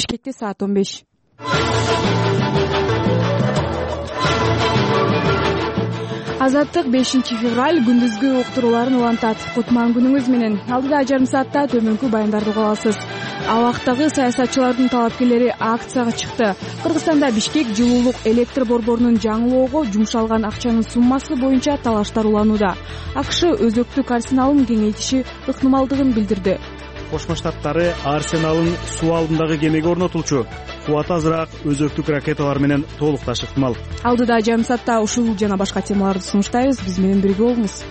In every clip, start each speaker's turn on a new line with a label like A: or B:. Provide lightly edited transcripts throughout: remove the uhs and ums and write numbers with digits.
A: Бишкекте саат 15. Азаттык 5-февраль күндүзгү уктурууларын улантат. Кутман күнүңүз менен. Алдыда жарым саатта төмөнкү баяндарды уга аласыз. Абактагы саясатчылардын талапкерлери акцияга чыкты. Кыргызстанда Бишкек жылуулук электр борборунун жаңылоого жумшалган акчанын суммасы боюнча талаштар уланууда. АКШ өзөктүк арсеналын кеңейтиши ыктымалдыгын билдирди.
B: Кошмо Штаттары арсеналын суу алдындагы кемеге орнотулчу. Кубаты азыраак өзөктүк ракеталар менен толукташ ыктымал.
A: Алдыда жарым саатта ушул жана башка темаларды сунуштайбыз. Биз менен бирге болуңуз.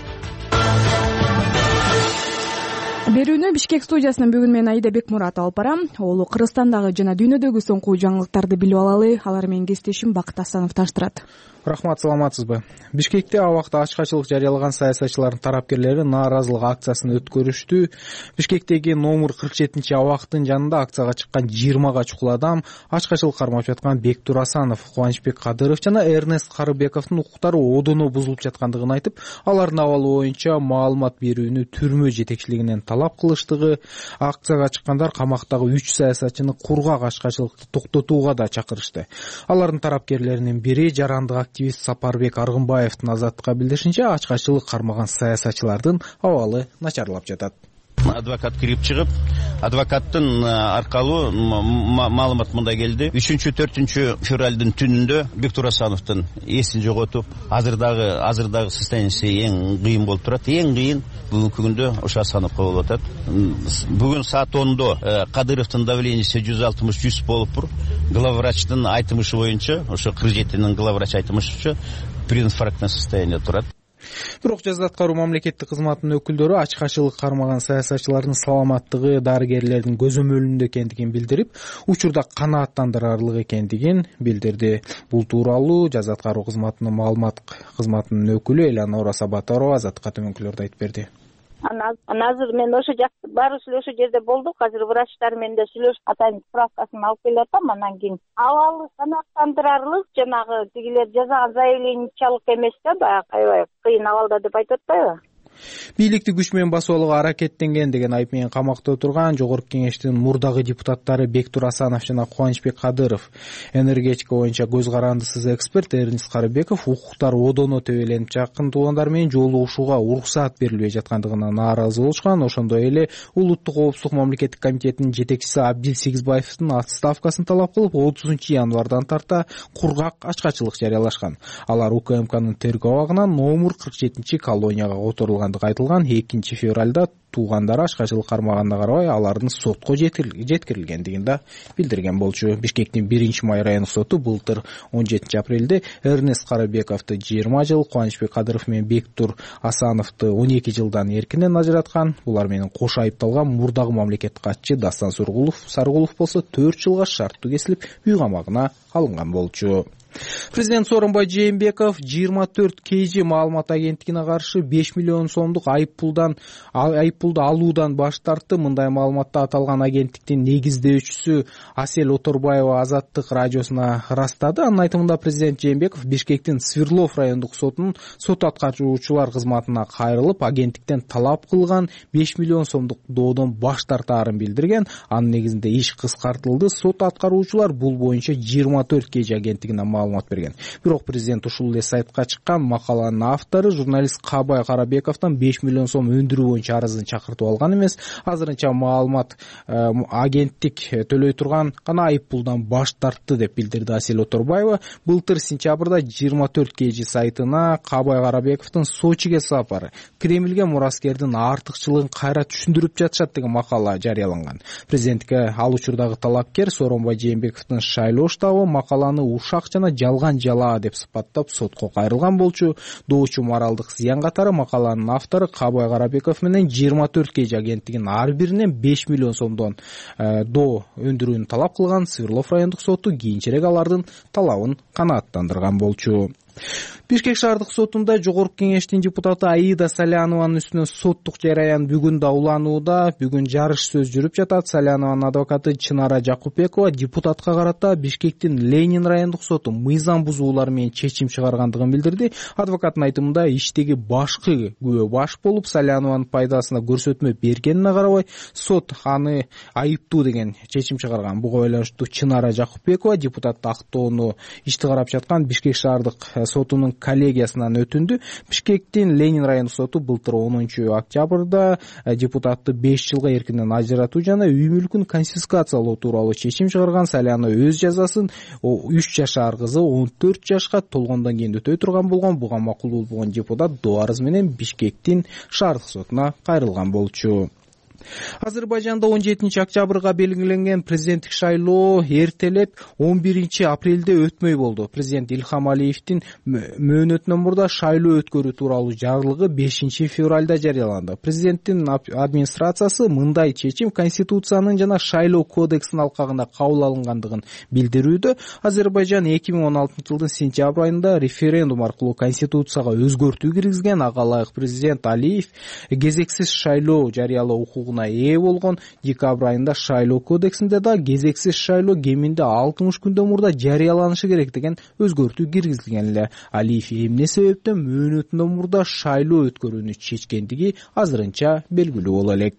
A: Берүүнү Бишкек студиясынан бүгүн мен Аида Бекмурат алып барам. Олу Кыргызстандагы жана дүйнөдөгү соңку жаңылыктарды билип алалы. Алар менен кесиптешим Бакыт Асанов таштырат.
C: Рахмат, саламатсызбы? Бишкекте абакта ачкачылык жарыялаган саясатчылардын тарапкерлери нааразылык акциясын өткөрүштү. Бишкектеги номер 47 абактын жанында акцияга чыккан 20 чукул адам ачкачылык кармап жаткан Бектур Асанов, Кубанычбек Кадыров жана Эрнест Карыбековдун укуктары одоно бузулуп жаткандыгын айтып, алардын абалы боюнча маалымат берүүнү түрмө жетекчилигинен талап кылыштыгы, акцияга чыккандар камактагы 3 саясатчыны кургак ачкачылыкты токтотууга да чакырышты. Алардын тарапкерлеринин бири жарандык активист Сапарбек Аргынбаевдин Азаттыкка билдиришинче, ачкачылык кармаган саясатчылардын абалы начарлап жатат.
D: Адвокат кирип чыгып, адвокаттын аркалуу маалымат мындай келди. 3-4 февралдын түнүндө Бектур Асановдун эсин жоготуп, азырдагы состояниясы эң кыйын болуп турат. Эң кыйын бүгүнкү күндө ошо Асановго болуп атат. Бүгүн саат 10-до Кадыровдун давлениеси 160-100 болуптур. Главврачтын айтымышы боюнча, ошо 47-нин главврач айтымышыча прединфарктный состояние турат.
C: Бирок жаза аткаруу мамлекеттик кызматынын өкүлдөрү ачкачылык кармаган саясатчылардын саламаттыгы дарыгерлердин көзөмөлүндө экендигин билдирип, учурда канааттандырарлык экендигин билдирди. Бул тууралуу жаза аткаруу кызматынын маалымат кызматынын өкүлү Элеонора Сабатарова Азаттыкка төмөнкүлөрдү айтып берди.
E: Азыр мен ошо жакта баары эле ошо жерде болдук. Азыр врачтар менен да сүйлөшүп атайын справкасын алып келатам. Анан кийин абалы канааттандырарлык, жанагы тигилер жазган заявлениячалык эмес да, баягы аябай кыйын абалда деп айтып атпайбы?
C: Бийликти күч менен басып алууга аракеттенген деген айып менен камакта отурган Жогорку Кеңештин мурдагы депутаттары Бектур Асанов жана Кубанычбек Кадыров, энергетика боюнча көз карандысыз эксперт Эрнест Карыбеков укуктар одоно төбөленип, жакын туугандар менен жолугушууга уруксаат берилбей жаткандыгына нааразы болушкан. Ошондой эле Улуттук коопсуздук мамлекеттик комитетинин жетекчиси Абдил Сегизбаевдин отставкасын талап кылып, 30-январдан тарта кургак ачкачылык жарыялашкан. Алар УКМКнын тергөө абагынан номер 47 колонияга которулган айтылган. 2 февралда туугандары ачкачылык кармаганына карабай алардын сотко жеткирилгендигин да билдирген болчу. Бишкектин 1-май райондук соту былтыр 17 апрелде Эрнест Карыбековду 20 жыл, Кубанычбек Кадыров менен Бектур Асановду 12 жылдан эркинен ажыраткан. Булар менен кош айыпталган мурдагы мамлекеттик катчы Дастан Сарыгулов болсо 4 жылга шарттуу кесилип үй камагына алынган болчу. Президент Сооронбай Жээнбеков 24 KG маалымат агенттигине каршы 5 миллион сомдук айыппулду алуудан баш тартты. Мындай маалыматта аталган агенттиктин негиздөөчүсү Асель Оторбаева Азаттык радиосуна ырастады. Анын айтымында президент Жээнбеков Бишкектин Свердлов райондук сотунун сот аткарчуучулар кызматына кайрылып, агенттиктен талап кылган 5 миллион сомдук доодон баш тартаарын билдирген. Анын негизинде иш кыскартылды. Сот аткаруучулар бул боюнча 24 KG агенттигине маалымат берген. Бирок президент ушул эле сайтка чыккан макаланын автору журналист Кабай Карабековдон 5 миллион сом өндүрүү боюнча арызын чакыртып алган эмес. Азырынча маалымат агенттик төлөй турган гана айыппулдан баш тартты деп билдирди Асель Оторбаева. Былтыр сентябрда 24 KG сайтына Кабай Карабековдун Сочиге сапары, Кремльге мураскердин артыкчылыгын кайра түшүндүрүп жатышат деген макала жарыяланган. Президентке ал учурдагы талапкер Сооронбай Жээнбековдун шайлоо штабы макаланы ушак жана жалган жалаа деп сыпаттап сотко кайрылган болчу. Доочу моралдык зыян катары макаланын автору Кабай Карабеков менен 24 KG агенттигинин ар биринен 5 миллион сомдон доо өндүрүүнү талап кылган. Свердлов райондук соту кийинчерээк алардын талабын канааттандырган болчу. Бишкек шаардык сотунда жогорку кеңештин депутаты Аида Салянованын үстүнөн соттук жараян бүгүн да уланууда. Бүгүн жарыш сөз жүрүп жатат. Салянованын адвокаты Чынара Жакупбекова депутатка карата Бишкектин Ленин райондук соту мыйзам бузуулар менен чечим чыгаргандыгын билдирди. Адвокаттын айтымында иштеги башкы күбө баш болуп Салянованын пайдасына көрсөтмө бергенине карабай сот аны айыптуу деген чечим чыгарган. Буга байланыштуу Чынара Жакупбекова депутатты актоону ишти карап жаткан Бишкек шаардык сотунун коллегиясынан өтүндү. Бишкектин Ленин райондук соту былтыр 10 октябрда депутатты 5 жылга эркинден ажыратуу жана үй мүлкүн конфискациялоо тууралуу чечим чыгарган. Салянова өз жазасын 3 жашар кызы 14 жашка толгондон кийин өтөй турган болгон. Буга макул болбогон депутат доо арыз менен Бишкектин шаардык сотуна кайрылган болчу. Азербайжанда 17 октябрга белгиленген президенттик шайлоо эртелеп 11 апрелде өтмөй болду. Президент Илхам Алиевдин мөөнөтүнөн мурда шайлоо өткөрүү тууралуу жарлыгы 5 февралда жарыяланды. Президенттин администрациясы мындай чечим Конституциянын жана шайлоо кодексинин алкагында кабыл алынгандыгын билдирүүдө. Азербайжан 2016 жылдын сентябрь айында референдум аркылуу Конституцияга өзгөртүү киргизген. Ага ылайык президент Алиев кезексиз шайлоо жарыялоо укугуна ээ болгон. Декабрь айында шайлоо кодексинде да кезексиз шайлоо кеминде 60 күндөн мурда жарыяланышы керек деген өзгөртүү киргизилген эле. Алиев эмне себептен мөөнөтүнөн мурда шайлоо өткөрүүнү чечкендиги азырынча белгилүү боло элек.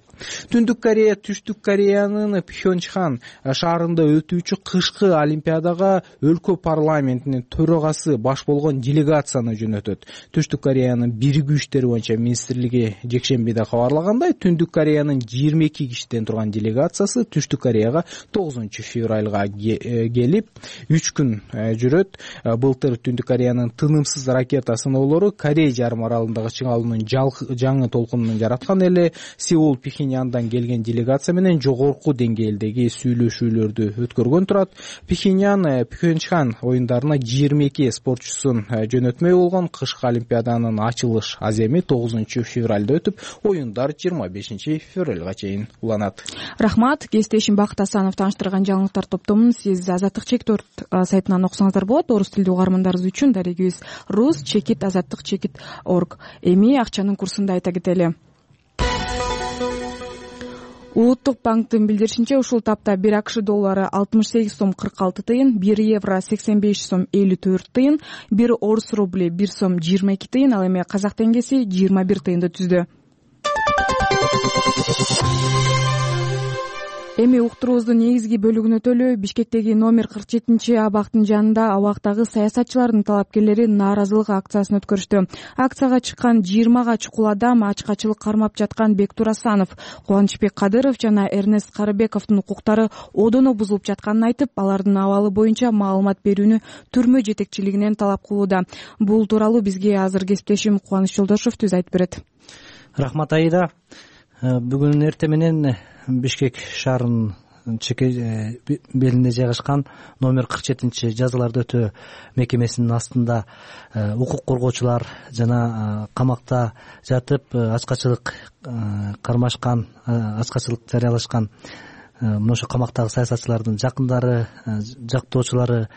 C: Түндүк Корея Түштүк Кореянын Пхёнчхан шаарында өтүүчү кышкы олимпиадага өлкө парламентинин төрагасы баш болгон делегацияны жөнөтөт. Түштүк Кореянын биригүү иштери боюнча министрлиги жекшембиде кабарлагандай, Түндүк Кореянын 22 кишиден турган делегациясы Түштүк Кореяга 9 февралга келип 3 күн жүрөт. Былтыр Түндүк Кореянын тынымсыз ракета сыноолору Корей жарым аралындагы чыңалуунун жаңы толкунун жараткан эле. Сеул Пхеньяндан келген делегация менен жогорку деңгээлдеги сүйлөшүүлөрдү өткөргөн турат. Пхеньян Пхёнчхан оюндарына 22 спортчусун жөнөтмөй болгон. Кышкы олимпиаданын ачылыш аземи 9 февралда өтүп, оюндар 25 февралга чейин уланат.
A: Рахмат. Кесиптешим Бакыт Асанов тааныштырган жаңылыктар топтомун сиз Азаттык чекит сайтынан окусаңыздар болот. Орус тилдүү угармандарыбыз үчүн дарегибиз rus-azattik-org. Эми акчанын курсун да айта кетели. Улуттук банктын билдиришинче, ушул тапта 1 АКШ доллары 68 сом 46 тыйын, 1 евро 85 сом 54 тыйын, 1 орус рубли 1 сом 22 тыйын, ал эми казак теңгеси 21 тыйынды түздү. Эми уктуруубуздун негизги бөлүгүнө төлөө Бишкектеги номер 47 абактын жанында абактагы саясатчылардын талапкерлери нааразылык акциясын өткөрүштү. Акцияга чыккан 20 чукул адам ачкачылык кармап жаткан Бектур Асанов, Кубанычбек Кадыров жана Эрнест Карыбековдун укуктары одоно бузулуп жатканын айтып, алардын абалы боюнча маалымат берүүнү түрмө жетекчилигинен талап кылууда. Бул тууралуу бизге азыр кесиптешим Кубаныч Жолдошов түз айтып берет.
F: Рахмат Аида. Бүгүн эртең менен Бишкек шаарынын белинде жайгашкан номер 47 жазаларды өтөө мекемесинин астында укук коргоочулар жана камакта жатып ачкачылык кармашкан, ачкачылык жарыялашкан ошо камактагы саясатчылардын жакындары, жактоочулары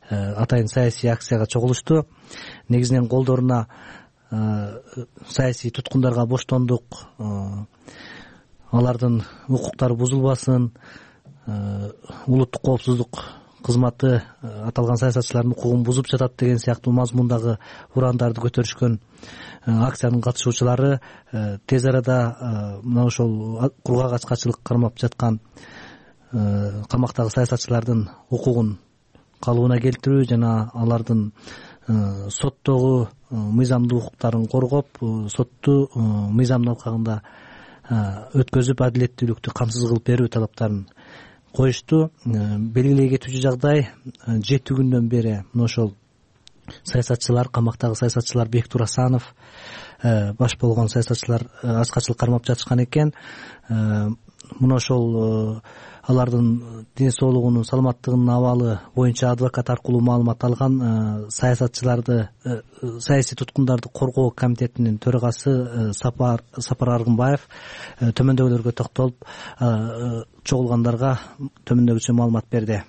F: атайын саясий акцияга чогулушту. Негизинен колдоруна саясий туткундарга боштондук, алардын укуктары бузулбасын, улуттук коопсуздук кызматы аталган саясатчылардын укугун бузуп жатат деген сыяктуу мазмундагы урандарды көтөрүшкөн акциянын катышуучулары тез арада мына ошол кургак ачкачылык кармап жаткан камактагы саясатчылардын укугун калыбына келтирүү жана алардын соттогу мыйзамдуу укуктарын коргоп, сотту мыйзамдын алкагында өткөзүп адилеттүүлүктү камсыз кылып берүү талаптарын коюшту. Белгилей кетүүчү жагдай, 7 күндөн бери мына ошол саясатчылар, камактагы саясатчылар Бектур Асанов баш болгон саясатчылар ачкачылык кармап жатышкан экен. Мына ошол алардын ден соолугунун, саламаттыгынын абалы боюнча адвокат аркылуу маалымат алган саясатчыларды, саясий туткундарды коргоо комитетинин төрагасы Сапар Аргынбаев төмөндөгүлөргө токтолуп, чогулгандарга төмөндөгүчө маалымат берди.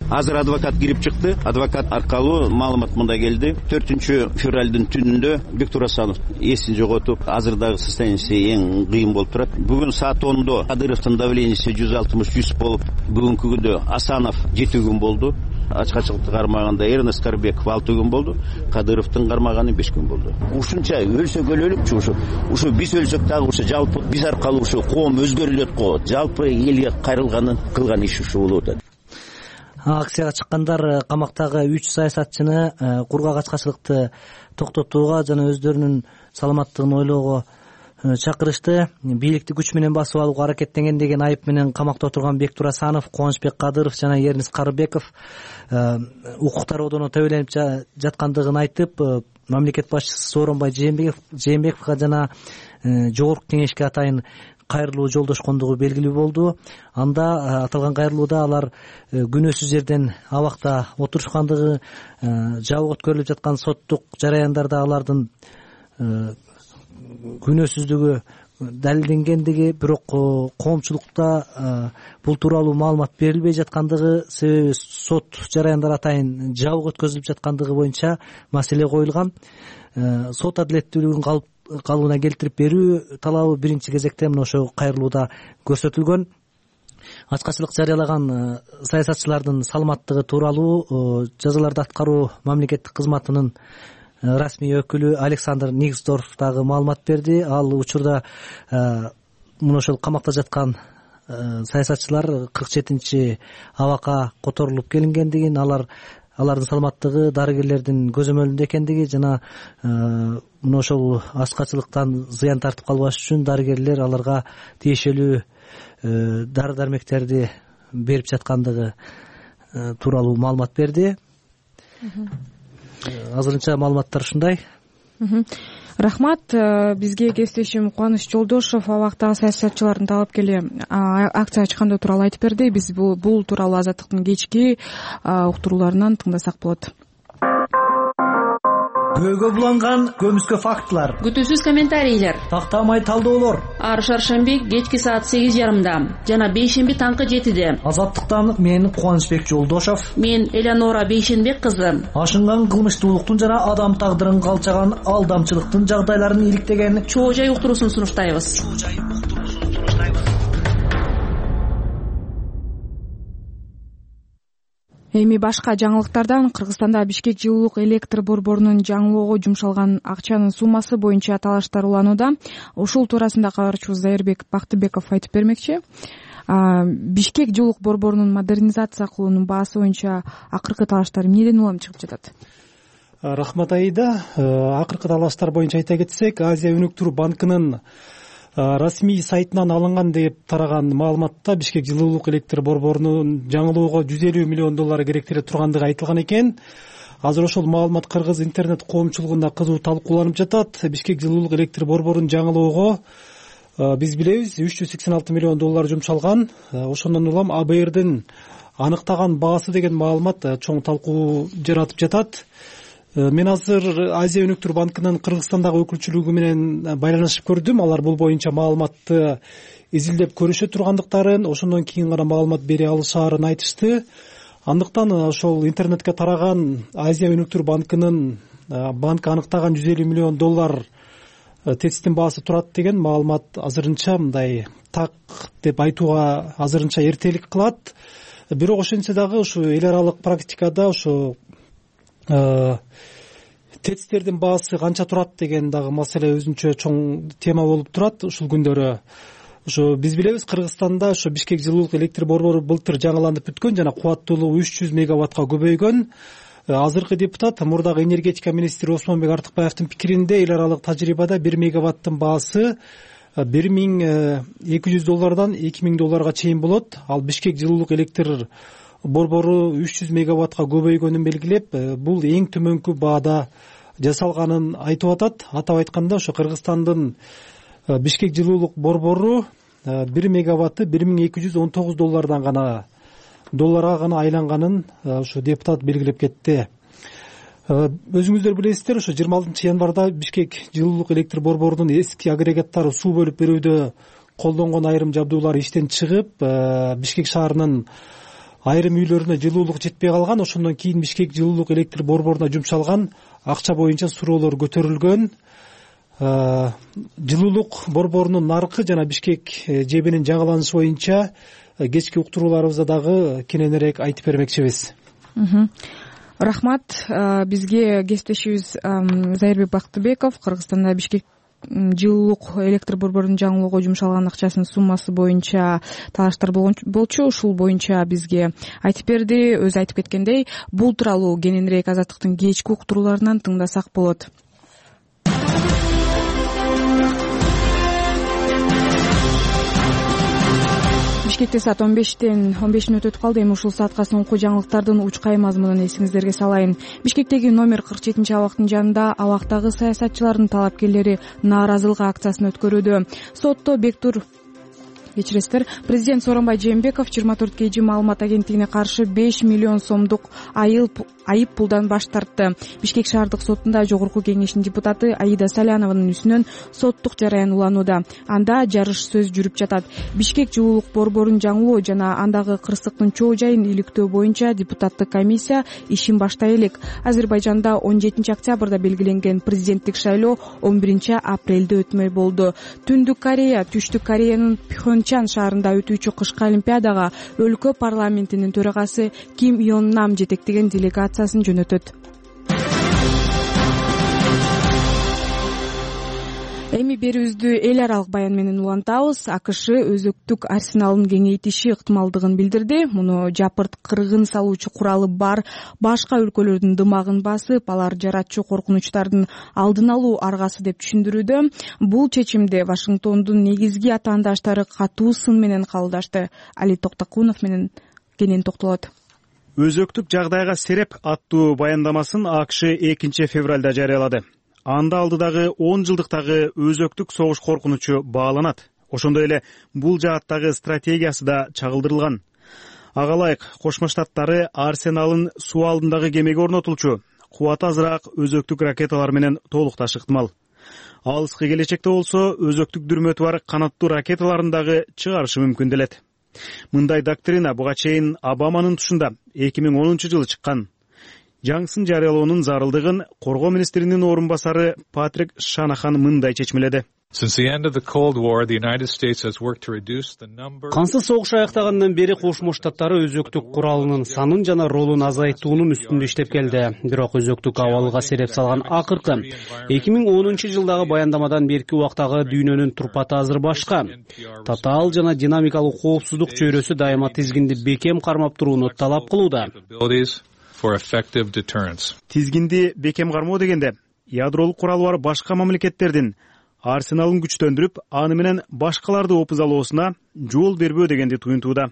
D: Азыр адвокат кирип чыкты. Адвокат аркылуу маалымат мындай келди. 4 февралдын түнүндө Бектур Асанов эсин жоготуп, азырдагы состояниясы эң кыйын болуп турат. Бүгүн саат 10-до Кадыровдун давлениясы 160-100 болуп, бүгүнкү күндө Асанов 7 күн болду. Ачкачылыкты кармаганда Эрнест Карбеков 6 күн болду. Кадыровдун кармаганы 5 күн болду. Ушунча өлсөк өлөлүкчү, ушу биз өлсөк дагы ушу жалпы биз аркылуу ушу коом өзгөрүлөт го. Жалпы элге кайрылганын кылган иши ушу болуп атат.
F: Акцияга чыккандар камактагы 3 саясатчыны кургак ачкачылыкты токтотууга жана өздөрүнүн саламаттыгын ойлоого чакырышты. Бийликти күч менен басып алууга аракеттенген деген айып менен камакта отурган Бектур Асанов, Кубанычбек Кадыров жана Эрнест Карбеков укуктар одоно төбөлөнүп жаткандыгын айтып, мамлекет башчысы Сооронбай Жээнбековго жана жогорку кеңешке атайын кайрылуу жолдошкондугу белгилүү болду. Анда аталган кайрылууда алар күнөөсүз жерден абакта отурушкандыгы, жабык өткөрүлүп жаткан соттук жараяндарда алардын күнөөсүздүгү далилденгендиги, бирок коомчулукта бул тууралуу маалымат берилбей жаткандыгы, себеби сот жараяндары атайын жабык өткөзүлүп жаткандыгы боюнча маселе коюлган. Сот адилеттүүлүгүн калыбына келтирип берүү талабы биринчи кезекте мына ошол кайрылууда көрсөтүлгөн. Ачкачылык жарыялаган саясатчылардын саламаттыгы тууралуу жазаларды аткаруу мамлекеттик кызматынын расмий өкүлү Александр Никсдорф дагы маалымат берди. Ал учурда мына ошол камакта жаткан саясатчылар 47-чи абакка которулуп келингендигин, алардын саламаттыгы дарыгерлердин көзөмөлүндө экендиги жана мына ошол ачкачылыктан зыян тартып калбаш үчүн дарыгерлер аларга тиешелүү дары-дармектерди берип жаткандыгы тууралуу маалымат берди. Азырынча маалыматтар ушундай.
A: Рахмат. Бизге кесиптешим Кубаныч Жолдошов абактагы саясатчылардын талапкери акцияга чыккандыгы тууралуу айтып берди. Биз бул тууралуу Азаттыктын кечки уктурууларынан тыңдасак болот.
G: Көөгө буланган көмүскө фактылар,
H: күтүүсүз комментарийлер,
G: тактамай талдоолор.
H: Ар шаршемби кечки саат 8:30 жана бейшемби таңкы 7-де.
G: Азаттыктан мен Кубанычбек Жолдошов,
H: мен Элеонора Бейшенбек кызы.
G: Ашынган кылмыштуулуктун жана адам тагдырын калчаган алдамчылыктын жагдайларын иликтеген
H: чоо жай уктуруусун сунуштайбыз.
A: Эми башка жаңылыктардан Кыргызстанда Бишкек жылуулук электр борборунун жаңылоого жумшалган акчанын суммасы боюнча талаштар уланууда. Ушул туурасында кабарчыбыз Айырбек Бактыбеков айтып бермекчи. Бишкек жылуулук борборунун модернизация кылуунун баасы боюнча акыркы талаштар эмнеден улам чыгып жатат?
I: Рахмат Аида. Акыркы талаштар боюнча айта кетсек, Азия өнүктүрүү банкынын расмий сайтынан алынган деп тараган маалыматта Бишкек жылуулук электр борборунун жаңылоого $150 миллион керектеле тургандыгы айтылган экен. Азыр ошол маалымат кыргыз интернет коомчулугунда кызуу талкууланып жатат. Бишкек жылуулук электр борборунун жаңылоого биз билебиз $386 миллион жумшалган. Ошондон улам АБРдин аныктаган баасы деген маалымат чоң талкуу жаратып жатат. Мен азыр Азия өнүктүрүү банкынын Кыргызстандагы өкүлчүлүгү менен байланышып көрдүм. Алар бул боюнча маалыматты изилдеп көрүшө тургандыктарын, ошондон кийин гана маалымат бере алышаарын айтышты. Андыктан ошол интернетке тараган Азия өнүктүрүү банкынын банк аныктаган $150 миллион тесттин баасы турат деген маалымат азырынча мындай так деп айтууга азырынча эртелик кылат. Бирок ошентсе дагы ушу эл аралык практикада ушу тестердин баасы канча турат деген дагы маселе өзүнчө чоң тема болуп турат ушул күндөрү. Ошо биз билебиз, Кыргызстанда ошо Бишкек жылуулук электр борбору былтыр жаңыланып бүткөн жана кубаттуулугу 300 мегаваттка көбөйгөн. Азыркы депутат, мурдагы энергетика министри Осмонбек Артыкбаевдин пикиринде эл аралык тажрыйбада 1 мегаваттын баасы $1200 $2000 чейин болот. Ал Бишкек жылуулук электр борбору 300 мегаваттка көбөйгөнүн белгилеп, бул эң төмөнкү баада жасалганын айтып атат. Атап айтканда, ошо Кыргызстандын Бишкек жылуулук борбору 1 мегаватты $1219 гана долларга гана айланганын ошо депутат белгилеп кетти. Өзүңүздөр билесиздер, ошо 26 январда Бишкек жылуулук электр борборунун эски агрегаттары суу бөлүп берүүдө колдонгон айрым жабдуулар иштен чыгып, Бишкек шаарынын айрым үйлөрүнө жылуулук жетпей калган. Ошондон кийин Бишкек жылуулук электр борборуна жумшалган акча боюнча суроолор көтөрүлгөн. Жылуулук борборунун наркы жана Бишкек жебинин жаңыланышы боюнча кечки уктурууларыбызда дагы кененирээк айтып бермекчибиз.
A: Рахмат. Бизге кесиптешибиз Зайырбек Бактыбеков Кыргызстанда Бишкек жылуулук электр борборунун жаңылоого жумшалган акчасынын суммасы боюнча талаштар болчу. Ушул боюнча бизге айтып берди. Өзү айтып кеткендей, бул тууралуу кененирээк Азаттыктын кечки уктурууларынан тыңдасак болот. Бишкекте саат 15 өтүп калды. Эми ушул саатка соңку жаңылыктардын учкай мазмунун эсиңиздерге салайын. Бишкектеги номер 47 абактын жанында абактагы саясатчылардын талапкерлери нааразылык акциясын өткөрүүдө. Сотто Бектур Президент Сооронбай Жээнбеков 24 KG маалымат агенттигине каршы 5 миллион сомдук айып пулдан баш тартты. Бишкек шаардык сотунда жогорку кеңештин депутаты Аида Салянованын үстүнөн соттук жараян уланууда. Анда жарыш сөз жүрүп жатат. Бишкек жылуулук борборун жаңылоо жана андагы кырсыктын чоо жайын иликтөө боюнча депутаттык комиссия ишин баштай элек. Азербайжанда 17 октябрда белгиленген президенттик шайлоо 11 апрелде өтмөй болду. Түндүк Корея, Түштүк Кореянын Пхёнчан шаарында өтүүчү кышкы олимпиадага өлкө парламентинин төрагасы Ким Йон Нам жетектеген делегациясын жөнөтөт. Эми берүүбүздү эл аралык баян менен улантабыз. АКШ өзөктүк арсеналын кеңейтиши ыктымалдыгын билдирди. Муну жапырт кыргын салуучу куралы бар башка өлкөлөрдүн дымагын басып, алар жаратчу коркунучтардын алдын алуу аргасы деп түшүндүрүүдө. Бул чечимди Вашингтондун негизги атаандаштары катуу сын менен кабылдашты. Али Токтокунов менен кенен токтолот.
B: Өзөктүк жагдайга сереп аттуу баяндамасын АКШ 2 февралда жарыялады. Анда алдыдагы 10 жылдыктагы өзөктүк согуш коркунучу бааланат. Ошондой эле бул жааттагы стратегиясы да чагылдырылган. Ага ылайык Кошмо Штаттары арсеналын суу алдындагы кемеге орнотулчу кубаты азыраак өзөктүк ракеталар менен толукташ ыктымал. Алыскы келечекте болсо өзөктүк дүрмөтү бар канаттуу ракеталарын дагы чыгарышы мүмкүн делет. Мындай доктрина буга чейин Обаманын тушунда 2010 жылы чыккан. Жаңсын жарыялоонун зарылдыгын коргоо министринин орун басары Патрик Шанахан мындай чечмеледи.
J: Кансыз согуш аяктагандан бери Кошмо Штаттары өзөктүк куралынын санын жана ролун азайтуунун үстүндө иштеп келди. Бирок өзөктүк абалга сереп салган акыркы 2010 жылдагы баяндамадан берки убактагы дүйнөнүн турпаты азыр башка. Татаал жана динамикалык коопсуздук чөйрөсү дайыма тизгинди бекем кармап турууну талап кылууда.
B: Тизгинди бекем кармоо дегенде ядролук куралы бар башка мамлекеттердин арсеналын күчтөндүрүп, аны менен башкаларды опузалоосуна жол бербөө дегенди туюнтууда.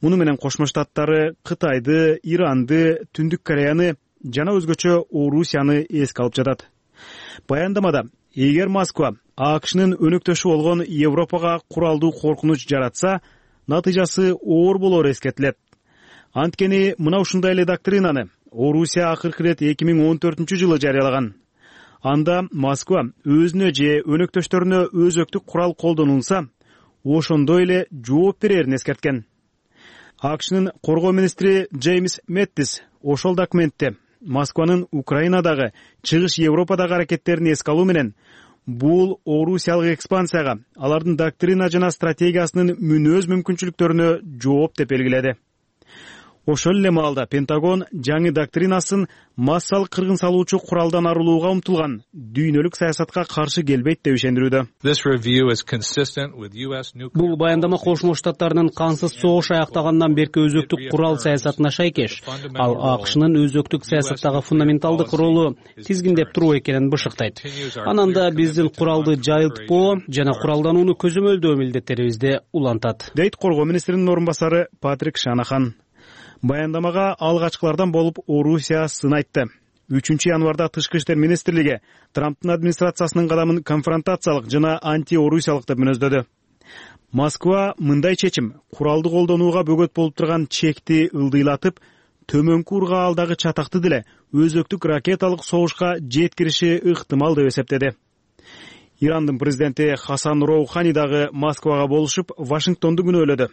B: Муну менен Кошмо Штаттары Кытайды, Иранды, Түндүк Кореяны жана өзгөчө Орусияны эске алып жатат. Баяндамада эгер Москва АКШнын өнөктөшү болгон Европага куралдуу коркунуч жаратса, натыйжасы оор болору эскертилет. Анткени мына ушундай эле доктринаны Орусия акыркы ирет 2014 жылы жарыялаган. Анда Москва өзүнө же өнөктөштөрүнө өзөктүк курал колдонулса, ошондой эле жооп берерин эскерткен. АКШнын коргоо министри Джеймс Мэттис ошол документте Москванын Украинадагы, Чыгыш Европадагы аракеттерин эске алуу менен бул орусиялык экспансияга, алардын доктрина жана стратегиясынын мүнөз мүмкүнчүлүктөрүнө жооп деп белгиледи. Ошол эле маалда Пентагон жаңы доктринасын массалык кыргын салуучу куралдан арылууга умтулган дүйнөлүк саясатка каршы келбейт деп ишендирүүдө.
J: Бул баяндама Кошмо Штаттарынын кансыз согуш аяктагандан берки өзөктүк курал саясатына шайкеш. Ал АКШнын өзөктүк саясаттагы фундаменталдык ролу тизгиндеп туруу экенин бышыктайт. Анан да биздин куралды жайылтпоо жана куралданууну көзөмөлдөө милдеттерибизди улантат,
B: дейт коргоо министринин орун басары Патрик Шанахан. Баяндамага алгачкылардан болуп Орусия сын айтты. 3 январда Тышкы иштер министрлиги Трамптын администрациясынын кадамын конфронтациялык жана анти-орусиялык деп мүнөздөдү. Москва мындай чечим куралды колдонууга бөгөт болуп турган чекти ылдыйлатып, төмөнкү ургаалдагы чатакты деле өзөктүк ракеталык согушка жеткириши ыктымал деп эсептеди. Ирандын президенти Хасан Роухани дагы Москвага болушуп, Вашингтонду күнөөлөдү.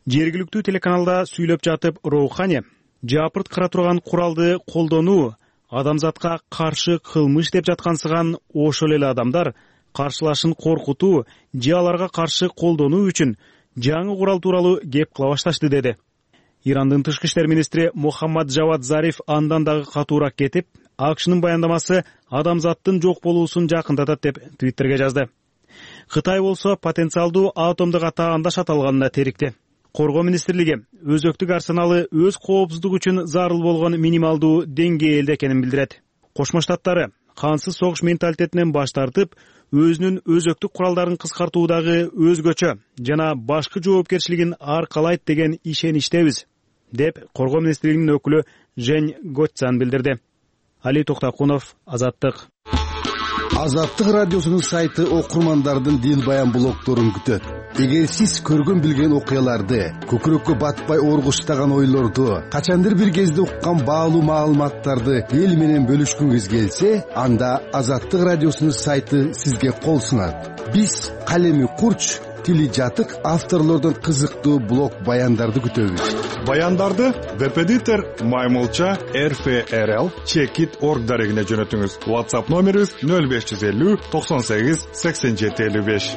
B: Жергиликтүү телеканалда сүйлөп жатып Роухани жапырт кыра турган куралды колдонуу адамзатка каршы кылмыш деп жаткансыган ошол эле адамдар каршылашын коркутуу же аларга каршы колдонуу үчүн жаңы курал тууралуу кеп кыла башташты деди. Ирандын тышкы иштер министри Мухаммад Жавад Зариф андан дагы катуураак кетип, АКШнын баяндамасы адамзаттын жок болуусун жакындатат деп Твиттерге жазды. Кытай болсо потенциалдуу атомдук атаандаш аталганына терикти. Коргоо министрлиги өзөктүк арсеналы өз коопсуздугу үчүн зарыл болгон минималдуу деңгээлде экенин билдирет. Кошмо Штаттары кансыз согуш менталитетинен баш тартып, өзүнүн өзөктүк куралдарын кыскартуудагы өзгөчө жана башкы жоопкерчилигин аркалайт деген ишеничтебиз, деп Коргоо министрлигинин өкүлү Жень Готцан билдирди. Али Токтакунов, Азаттык.
K: Азаттык радиосунун сайты окурмандардын дил баян блогдорун күтөт. Эгер сиз көргөн билген окуяларды, көкүрөккө батпай оргуштаган ойлорду, качандыр бир кезде уккан баалуу маалыматтарды эл менен бөлүшкүңүз келсе, анда Азаттык радиосунун сайты сизге кол сунат. Биз калеми курч, тили жатык авторлордон кызыктуу блог баяндарды күтөбүз.
L: Баяндарды веб-эдитор Маймылча RFRL Checkit.org дарегине жөнөтүңүз. WhatsApp номерибиз 0550 98 87 55.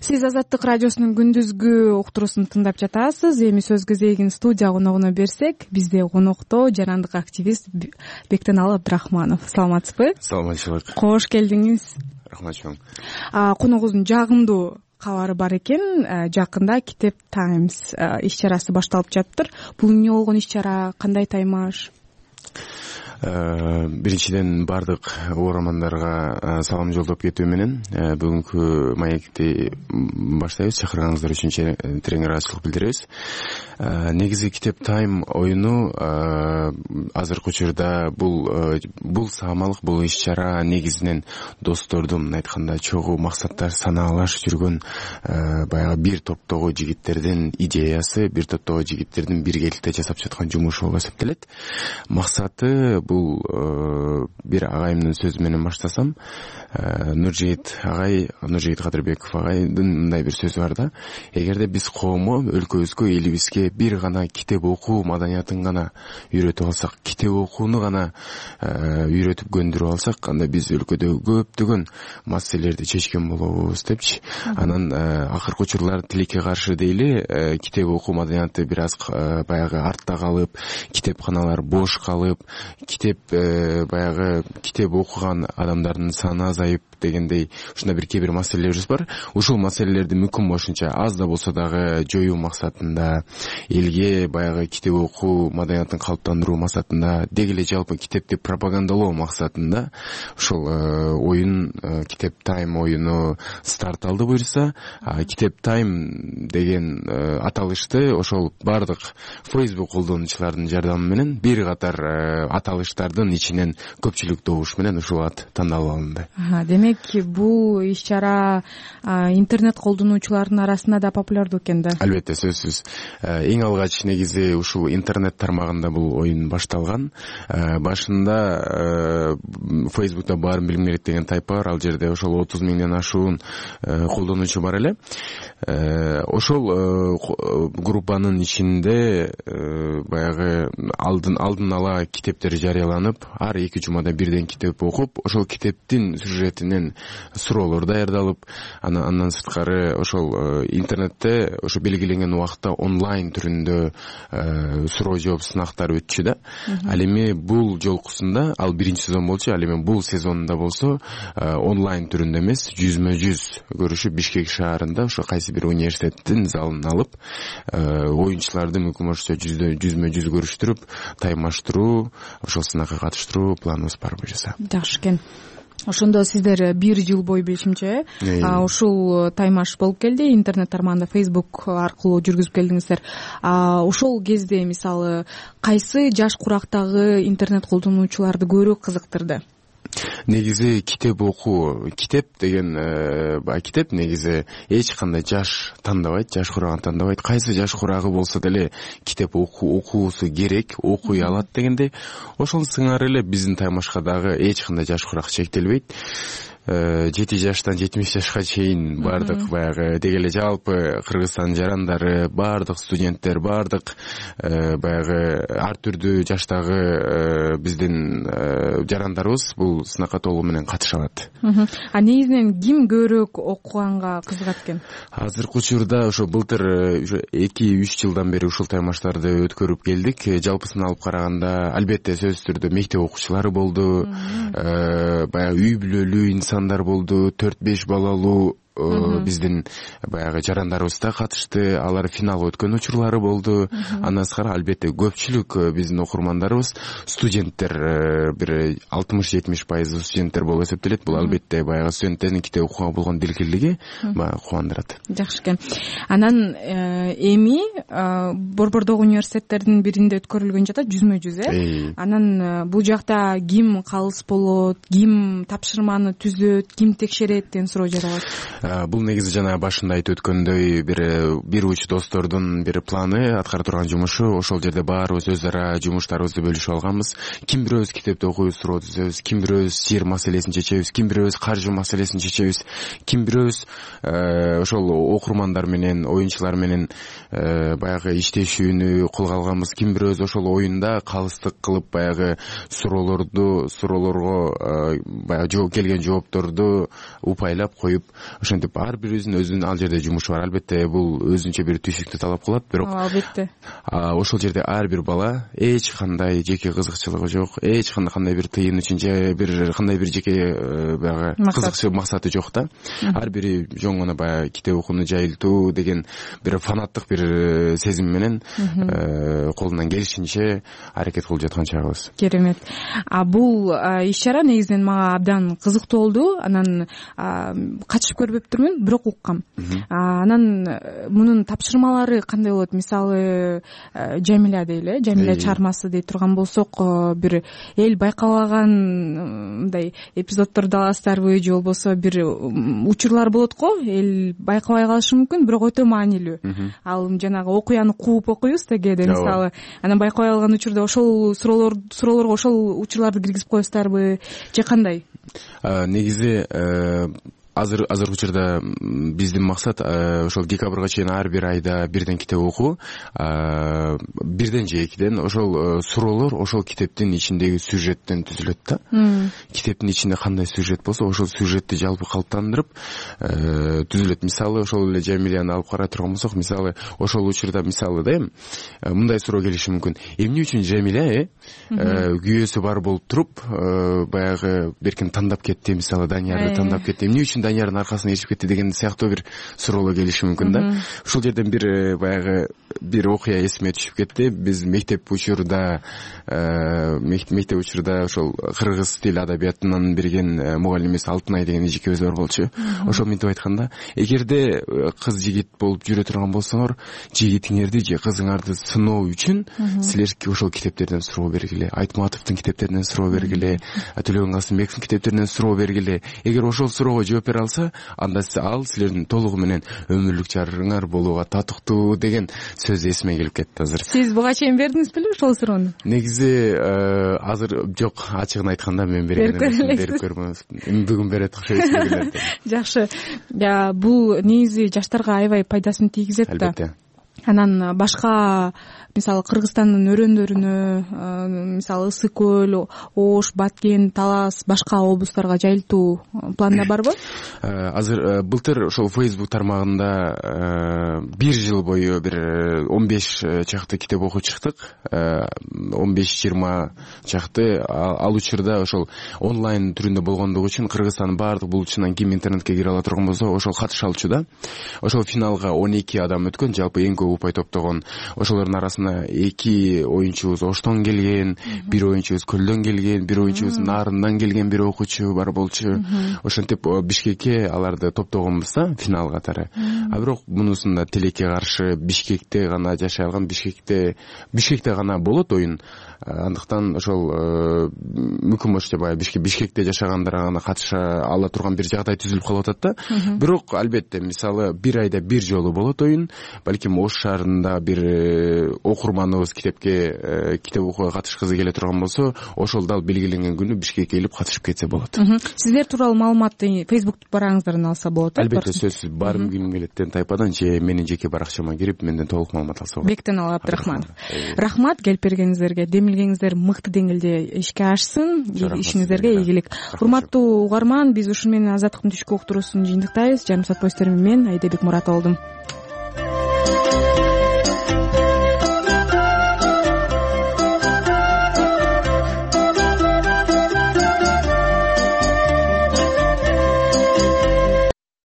A: Сиз Азаттык радиосунун күндүзгү уктуруусун тыңдап жатасыз. Эми сөз кезегин студия коногуна берсек, бизде конокто жарандык активист Бектеналы Абдрахманов. Саламатсызбы?
M: Саламатчылык.
A: Кош келдиңиз.
M: Рахмат чоң.
A: Коногубуздун жагымдуу кабары бар экен. Жакында Китеп Times иш-чарасы башталып жатыптыр. Бул эмне болгон иш-чара, кандай таймаш?
M: Биринчиден бардык угармандарга салам жолдоп кетүү менен бүгүнкү маекти баштайбыз. Чакырганыңыздар үчүн терең ыраазычылык билдиребиз. Негизи Китеп Тайм оюну азыркы учурда бул саамалык, бул иш-чара негизинен достордун, айтканда чогуу максаттар санаалаш жүргөн баягы бир топтогу жигиттердин идеясы, бир топтогу жигиттердин биргеликте жасап жаткан жумушу болуп эсептелет. Максаты бул бир агайымдын сөзү менен баштасам, Нуржигит Кадырбеков агайдын мындай бир сөзү бар да: эгерде биз коомго, өлкөбүзгө, элибизге бир гана китеп окуу маданиятын гана үйрөтүп алсак, китеп окууну гана үйрөтүп көндүрүп алсак, анда биз өлкөдө көптөгөн маселелерди чечкен болобуз депчи. Анан акыркы учурлар тилекке каршы дейли, китеп окуу маданияты бир аз баягы артта калып, китепканалар бош калып, баягы китеп окуган адамдардын саны азайып дегендей ушундай бир кээ бир маселелерибиз бар. Ушул маселелерди мүмкүн болушунча аз да болсо дагы жоюу максатында, элге баягы китеп окуу маданиятын калыптандыруу максатында, деги эле жалпы китепти пропагандалоо максатында ушул оюн, Китеп Тайм оюну старт алды буюрса. Китеп Тайм деген аталышты ошол бардык Facebook колдонуучулардын жардамы менен бир катар аталыштардын ичинен көпчүлүк добуш менен ушул ат тандалып алынды.
A: Демек, бул иш-чара интернет колдонуучулардын арасында да популярдуу экен да?
M: Албетте, сөзсүз. Эң алгач негизи ушул интернет тармагында бул оюн башталган. Башында Facebook'та баарын билим керек деген тайпа бар. Ал жерде ошол 30 миңден ашуун колдонуучу бар эле. Ошол группанын ичинде баягы алдын ала китептер жарыяланып, ар 2 жумада бирден китеп окуп, ошол китептин сюжетинен суроолор даярдалып, андан сырткары ошол интернетте ошо белгиленген убакытта онлайн түрүндө суроо жооп сынактар өтчү да. Ал эми бул жолкусунда, ал биринчи сезон болчу, ал эми бул сезонунда болсо онлайн түрүндө эмес, жүзмө-жүз көрүшүп Бишкек шаарында ошо кайсы бир университеттин залын алып, оюнчуларды мүмкүн болушунча жүзмө-жүз көрүштүрүп, таймаштыруу, ошол сынакка катыштыруу планыбыз бар буюрса.
A: Жакшы экен. Ошондо сиздер 1 жыл бою билишимче ушул таймаш болуп келди, интернет тармагында Facebook аркылуу жүргүзүп келдиңиздер. Ошол кезде мисалы кайсы жаш курактагы интернет колдонуучуларды көбүрөөк кызыктырды?
M: Негизи китеп окуу, китеп деген китеп негизи эч кандай жаш тандабайт, жаш курагын тандабайт. Кайсы жаш курагы болсо деле китеп окуусу керек, окуй алат дегенде, ошол сыңары эле биздин таймашка дагы эч кандай жаш курак чектелбейт. 7 жаштан 70 жашка чейин баардык баягы деги эле жалпы Кыргызстандын жарандары, баардык студенттер, баардык баягы ар түрдүү жаштагы биздин жарандарыбыз бул сынакка толугу менен катыша алат.
A: А негизинен ким көбүрөөк окуганга кызыгат экен?
M: Азыркы учурда ошо былтыр 2-3 жылдан бери ушул таймаштарды өткөрүп келдик. Жалпысын алып караганда албетте сөзсүз түрдө мектеп окуучулары болду, баягы үй бүлөлүү инсандар болду, 4-5 балалуу биздин баягы жарандарыбыз да катышты, алар финалга өткөн учурлары болду. Андан сырткары албетте көпчүлүк биздин окурмандарыбыз студенттер, бир 60-70% студенттер болуп эсептелет. Бул албетте баягы студенттердин китеп окууга болгон дилгирлиги баягы кубандырат.
A: Жакшы экен. Анан эми Борбордогу университеттердин биринде өткөрүлгөн жатат жүзмө-жүз, Анан бул жакта ким калыс болот, ким тапшырманы түзөт, ким текшерет деген суроо жаралат.
M: Бул негизи жана башында айтып өткөндөй бир уч достордун бир планы, аткара турган жумушу. Ошол жерде баарыбыз өз ара жумуштарыбызды бөлүшүп алганбыз. Ким бирөөбүз китепти окуйбуз, суроо түзөбүз, ким бирөөбүз жер маселесин чечебиз, ким бирөөбүз каржы маселесин чечебиз, ким бирөөбүз ошол окурмандар менен, оюнчулар менен баягы иштешүүнү колго алганбыз, ким бирөөбүз ошол оюнда калыстык кылып баягы суроолорго баягы жооп келген жоопторду упайлап коюп, ошентип ар бирибиздин өзүнүн ал жерде жумушу бар. Албетте бул өзүнчө бир түйшүктү талап кылат, бирок
A: албетте
M: ошол жерде ар бир бала эч кандай жеке кызыкчылыгы жок, эч кандай бир тыйын үчүн же бир кандай бир жеке баягы кызыкчы максаты жок да. Ар бири жөн гана баягы китеп окууну жайылтуу деген бир фанаттык бир сезим менен колунан келишинче аракет кылып жаткан чагыбыз.
A: Керемет. Бул иш-чара негизинен мага абдан кызыктуу болду. Анан катышып көрбөптүрмүн, бирок уккам. Анан мунун тапшырмалары кандай болот? Мисалы, Жамиля дейли, Жамиля чармасы дей турган болсок, бир эл байкабаган мындай эпизоддорду аласыздарбы же болбосо бир учурлар болот го, эл байкабай калышы мүмкүн, бирок өтө маанилүү. Ал жанагы окуяны кууп окуйбуз кээде, мисалы, анан байкабай калган учурда ошол суроолорго ошол учурларды киргизип коесуздарбы же кандай?
M: Негизи азыркы учурда биздин максат ошол декабрга чейин ар бир айда бирден китеп окуу, бирден же экиден ошол суроолор ошол китептин ичиндеги сюжеттен түзүлөт да. Китептин ичинде кандай сюжет болсо, ошол сюжетти жалпы калыптандырып түзүлөт. Мисалы, ошол эле Жамиляны алып карай турган болсок, мисалы, ошол учурда мисалы да мындай суроо келиши мүмкүн. Эмне үчүн Жамиля күйөөсү бар болуп туруп баягы беркин тандап кетти, мисалы, Даниярды тандап кетти. Эмне үчүн Даниярдын аркасына ээрчип кетти деген сыяктуу бир суроолор келиши мүмкүн да. Ушул жерден бир баягы бир окуя эсиме түшүп кетти. Биз мектеп учурда ошол кыргыз тил адабиятынан берген мугалимибиз Алтынай деген эжекебиз бар болчу. Ошол мынтип айтканда, эгерде кыз жигит болуп жүрө турган болсоңор, жигитиңерди же кызыңарды сыноо үчүн силер ошол китептерден суроо бергиле, Айтматовдун китептеринен суроо бергиле, Төлөгөн Касымбековдун китептеринен суроо бергиле. Эгер ошол суроого жооп бере алса, анда ал силердин толугу менен өмүрлүк жарыңар болууга татыктуу деген сөз эсиме келип кетти азыр. Сиз
A: буга чейин бердиңиз беле ошол суроону?
M: Негизи азыр жок, ачыгын айтканда мен берип көрмөмүн. Бүгүн берет окшойт.
A: Жакшы. Бул негизи жаштарга аябай пайдасын тийгизет да.
M: Албетте.
A: Анан башка, мисалы, Кыргызстандын өрөөндөрүнө, мисалы, Ысык көл, Ош, Баткен, Талас, башка облустарга жайылтуу планда барбы?
M: Азыр былтыр ошол Facebook тармагында бир жыл бою бир 15 чакты китеп окуп чыктык. 15-20 чакты. Ал учурда ошол онлайн түрүндө болгондугу үчүн Кыргызстандын баардык булчунан ким интернетке кире ала турган болсо, ошол катыша алчу да. Ошол финалга 12 адам өткөн, жалпы эң көп упай топтогон. Ошолордун арасында 2 оюнчубуз Оштон келген, 1 оюнчубуз Көлдөн келген, 1 оюнчубуз Нарындан келген бир окуучу бар болчу. Ошентип Бишкекке аларды топтогонбуз да, финал катары. Бирок мунусунда тилекке каршы Бишкекте гана жашай алган, Бишкекте гана болот оюн. Андыктан ошол мүмкүн болчу баягы Бишкекте жашагандар гана катыша ала турган бир жагдай түзүлүп калып атат да. Бирок албетте, мисалы, бир айда бир жолу болот оюн. Балким Ош шаарында бир окурманыбыз китеп окууга катышкысы келе турган болсо, ошол дал белгиленген күнү Бишкекке келип катышып кетсе болот.
A: Сиздер тууралуу маалыматты Facebook бараңыздардан алса болот.
M: Албетте, сөзсүз. Барым ким келеттен тайпадан же менин жеке баракчама кирип менден толук маалымат алса болот.
A: Бектенал Абдрахманов. Рахмат келип бергениңиздерге. Демилгениңиздер мыкты деңгээлде ишке ашсын. Ишиңиздерге ийгилик. Урматтуу угарман, биз ушуну менен Азаттыктын түшкү уктуруусун жыйынтыктайбыз. Жарым саат боюнча мен Айдебек Муратова болдум.